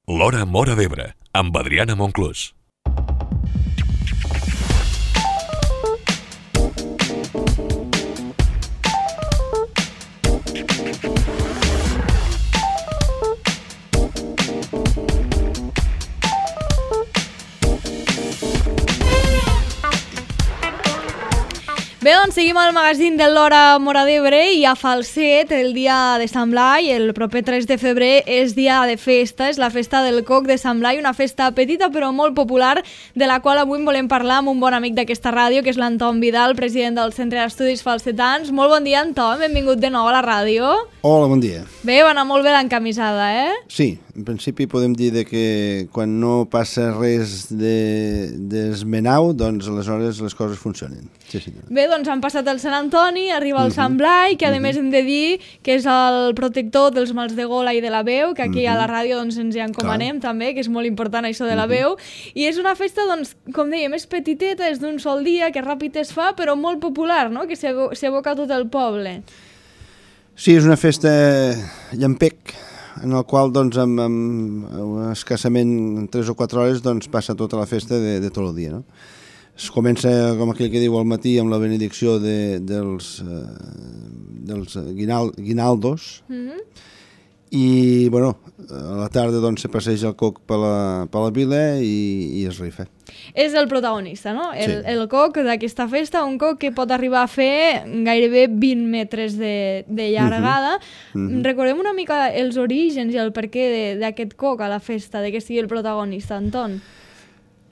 L'Hora Móra d'Ebre, amb Adriana Monclús. Bé, doncs seguim al magazín de l'Hora Móra d'Ebre i a Falset, el dia de Sant Blai, el proper 3 de febrer, és dia de festa, és la festa del coc de Sant Blai, una festa petita però molt popular, de la qual avui volem parlar amb un bon amic d'aquesta ràdio, que és l'Anton Vidal, president del Centre d'Estudis Falsetans. Molt bon dia, Anton, benvingut de nou a la ràdio. Hola, bon dia. Bé, va anar molt bé l'encamisada, eh? Sí, en principi podem dir que quan no passa res d'esmenau, doncs aleshores les coses funcionen. Sí. Bé, doncs han passat el Sant Antoni, arriba el Sant Blai, que a més hem de dir que és el protector dels mals de gola i de la veu, que aquí a la ràdio doncs, ens hi encomanem també, que és molt important això de la veu, i és una festa, doncs, com dèiem, és petiteta, és d'un sol dia, que ràpid es fa, però molt popular, no?, que s'evoca tot el poble. Sí, és una festa llampec, en el qual doncs, amb escassament 3 o 4 hores doncs, passa tota la festa de tot el dia. No? Es comença, com aquell que diu, al matí amb la benedicció dels guinaldos i bueno, a la tarda doncs, se passeja el coc per la vila i es rifa. És el protagonista, no? Sí. El coc d'aquesta festa, un coc que pot arribar a fer gairebé 20 metres de llargada. Recordem una mica els orígens i el perquè d'aquest coc a la festa, de que sigui el protagonista, Anton.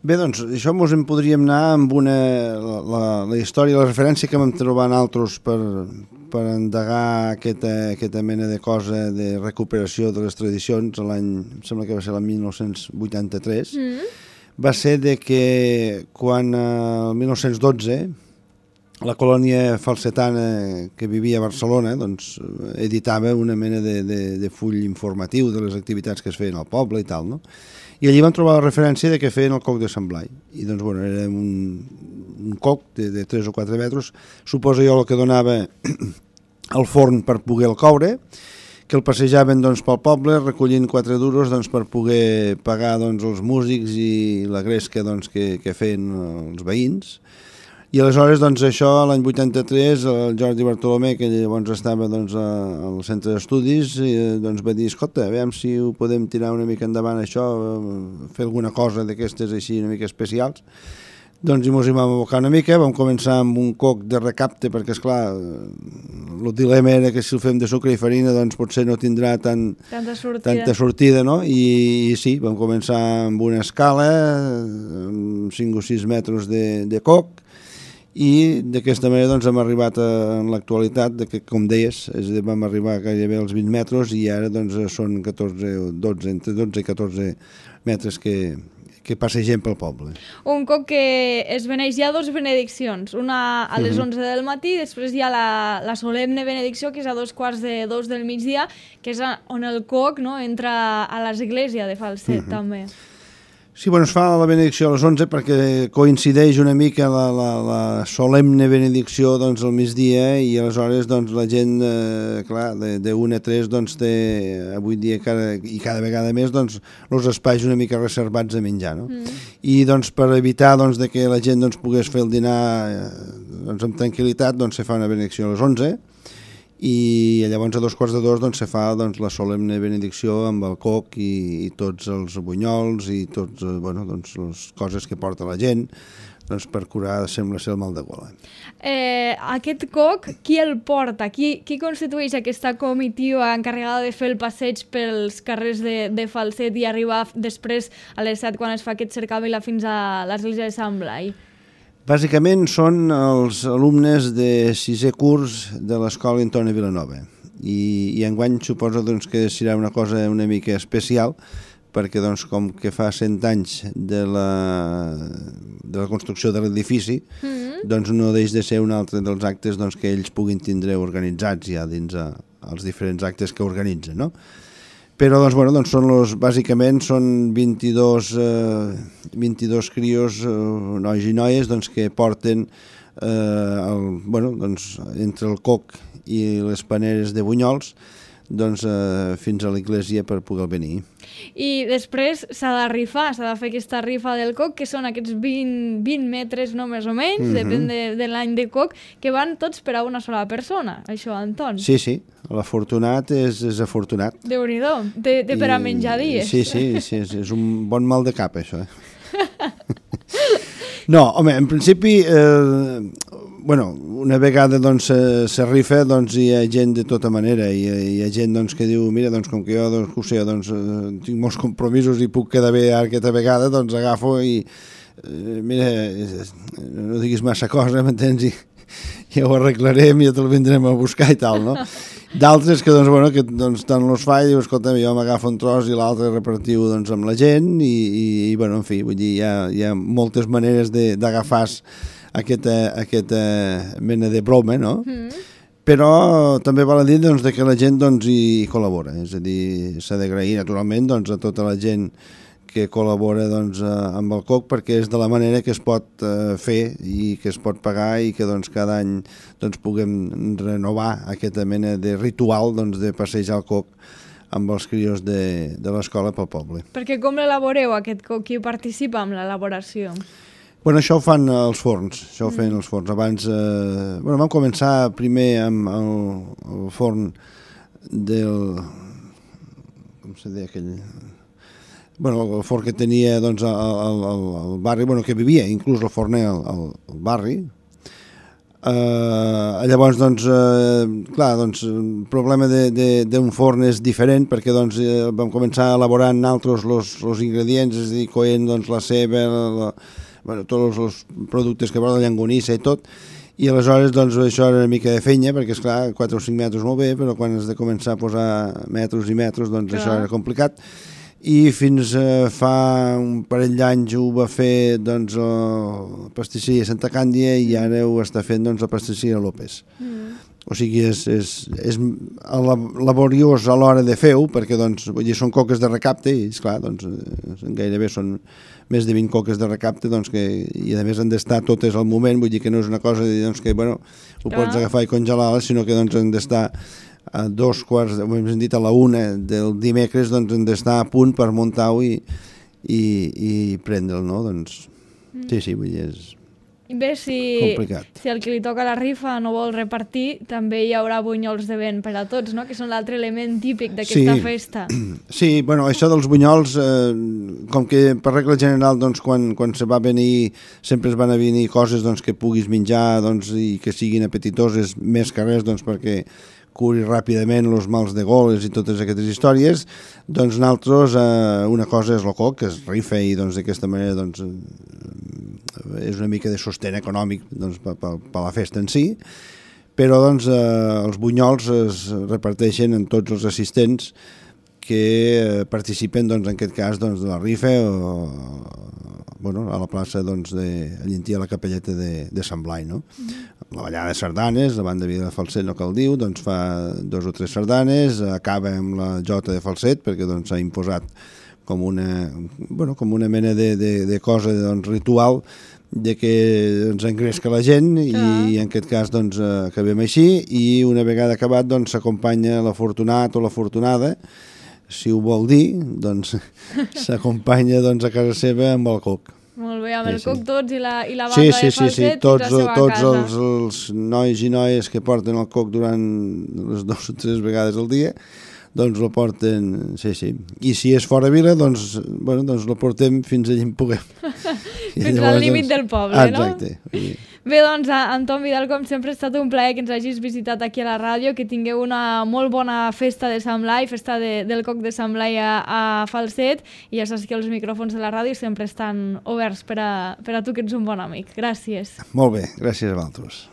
Bé, doncs, això ens en podríem anar amb la història, la referència que vam trobar nosaltres per endegar aquesta mena de cosa de recuperació de les tradicions l'any, em sembla que va ser l'any 1983, va ser de que quan el 1912 la colònia falsetana que vivia a Barcelona doncs, editava una mena de full informatiu de les activitats que es feien al poble i tal, no? I allí vam trobar la referència de que feien el coc de Sant Blai. I doncs, bueno, era un coc de 3 o 4 metres, suposo jo el que donava al forn per poder el coure, que el passejaven doncs, pel poble recollint 4 duros doncs, per poder pagar doncs, els músics i la gresca doncs, que feien els veïns. I aleshores, doncs, això, l'any 83, el Jordi Bartolomé, que llavors estava doncs, al centre d'estudis, doncs, va dir, escolta, a veure si ho podem tirar una mica endavant això, fer alguna cosa d'aquestes així una mica especials. Doncs ens hi vam abocar una mica, vam començar amb un coc de recapte, perquè, esclar, el dilema era que si el fem de sucre i farina, doncs potser no tindrà tanta sortida, no? I sí, vam començar amb una escala, amb 5 o 6 metres de coc, i d'aquesta manera doncs, hem arribat en l'actualitat, que com deies, vam arribar gairebé als 20 metres i ara doncs, són 14 o 12, entre 12 i 14 metres que passegem pel poble. Un coc que es beneix, hi ha 2 benediccions, una a les 11 del matí, després hi ha la solemne benedicció, que és a 2:15 del migdia, que és on el coc no, entra a l'església de Falset, també. Sí, bueno, es fa la benedicció a les 11 perquè coincideix una mica la solemne benedicció doncs, al migdia i aleshores doncs, la gent, clar, de 1 a 3 doncs, té avui dia cada vegada més doncs, els espais una mica reservats a menjar. No? I doncs, per evitar doncs, de que la gent doncs, pogués fer el dinar doncs, amb tranquil·litat, doncs, se fa una benedicció a les 11 i llavors a 2:15 doncs, se fa doncs, la solemne benedicció amb el coc i tots els bunyols i tots, bueno, doncs, les coses que porta la gent doncs, per curar, sembla ser, el mal de gola. Aquest coc, qui el porta? Qui constitueix aquesta comitiva encarregada de fer el passeig pels carrers de Falset i arribar després a les 7 quan es fa aquest cercavila fins a l'església de Sant Blai? Bàsicament són els alumnes de 6è curs de l'escola Antoni Vilanova i enguany suposo doncs, que serà una cosa una mica especial perquè doncs, com que fa 100 anys de la construcció de l'edifici doncs no deix de ser un altre dels actes doncs, que ells puguin tindre organitzats ja dins els diferents actes que organitzen, no? Però doncs, bueno, doncs bàsicament són 22 crios, nois i noies, doncs, que porten bueno, doncs, entre el coc i les paneres de bunyols doncs, fins a l'església per poder venir. I després s'ha de rifar, s'ha de fer aquesta rifa del coc, que són aquests 20 metres, no més o menys, depèn de l'any de coc, que van tots per a una sola persona, això, Anton. Sí, sí, l'afortunat és afortunat. Déu-n'hi-do, té per a menjar dies. Sí, és un bon mal de cap, això. No, home, en principi, una vegada doncs, se rifa, doncs, hi ha gent de tota manera, hi ha gent doncs, que diu, mira, doncs, com que jo tinc molts compromisos i puc quedar bé aquesta vegada, doncs agafo i, mira, no diguis massa cosa, m'entens? I ja ho arreglarem i ja te'l vindrem a buscar i tal, no? D'altres que, tant los fa i diu, escolta, jo m'agafo un tros i l'altre repartiu doncs, amb la gent i en fi, vull dir, hi ha moltes maneres d'agafar aquesta mena de broma, no? Però també val a dir doncs, que la gent doncs, hi col·labora, és a dir, s'ha d'agrair naturalment doncs, a tota la gent que col·labora doncs, amb el coc, perquè és de la manera que es pot fer i que es pot pagar i que doncs, cada any doncs, puguem renovar aquesta mena de ritual doncs, de passejar el coc amb els crios de l'escola pel poble. Perquè com l'elaboreu, aquest coc? Qui participa en l'elaboració? Bueno, això ho fan els forns, això ho feien els forns. Abans, vam començar primer amb el forn del... com se deia aquell... el forn que tenia doncs, al barri, que vivia, inclús el forner al barri. Llavors, el problema d'un forn és diferent perquè vam començar elaborant altres els ingredients, és a dir, coent la ceba, tots els productes que porta, la llangonissa i tot, i aleshores això era una mica de fenya, perquè esclar, 4 o 5 metres molt bé, però quan has de començar a posar metres i metres, això era complicat. I fins fa un parell d'anys ho va fer la pastisseria Santa Càndia i ara ho està fent la pastisseria López. O sigui, és laboriós a l'hora de fer-ho, perquè són coques de recapte i, esclar, gairebé són més de 20 coques de recapte i a més han d'estar totes al moment, vull dir que no és una cosa que ho pots agafar i congelar, sinó que han d'estar a 2:15, hem dit a la 1 del dimecres, hem d'estar a punt per muntar-ho i prendre'l, no? Sí, vull dir, és complicat. Si el que li toca la rifa no vol repartir, també hi haurà bunyols de vent per a tots, no? Que són l'altre element típic d'aquesta festa. Sí, això dels bunyols, com que per regla general, quan se va venir, sempre es van a venir coses que puguis menjar i que siguin apetitoses, més que res, perquè curi ràpidament els mals de goles i totes aquestes històries, nosaltres una cosa és el coc, que es rifa i d'aquesta manera és una mica de sostén econòmic per la festa en si, però els bunyols es reparteixen en tots els assistents que participen en aquest cas de la rifa a la plaça allí a la capelleta de Sant Blai, no? La ballada de sardanes, la banda de Vida de Falset, no cal dir, fa 2 o 3 sardanes, acaba amb la jota de falset, perquè s'ha imposat com una mena de cosa ritual de que engresca la gent i en aquest cas acabem així i una vegada acabat s'acompanya l'afortunat o l'afortunada, si ho vol dir, s'acompanya a casa seva amb el coc. Molt bé, amb el coc tots i la banda de falset fins a la seva casa. Tots els nois i noies que porten el coc durant les 2 o 3 vegades al dia, lo porten, sí. I si és fora vila, lo portem fins allà en puguem. Fins al límit del poble, no? Exacte. Bé, Anton Vidal, com sempre ha estat un plaer que ens hagis visitat aquí a la ràdio, que tingueu una molt bona festa de Sant Blai, festa del coc de Sant Blai a Falset, i ja saps que els micròfons de la ràdio sempre estan oberts per a tu, que ets un bon amic. Gràcies. Molt bé, gràcies a vosaltres.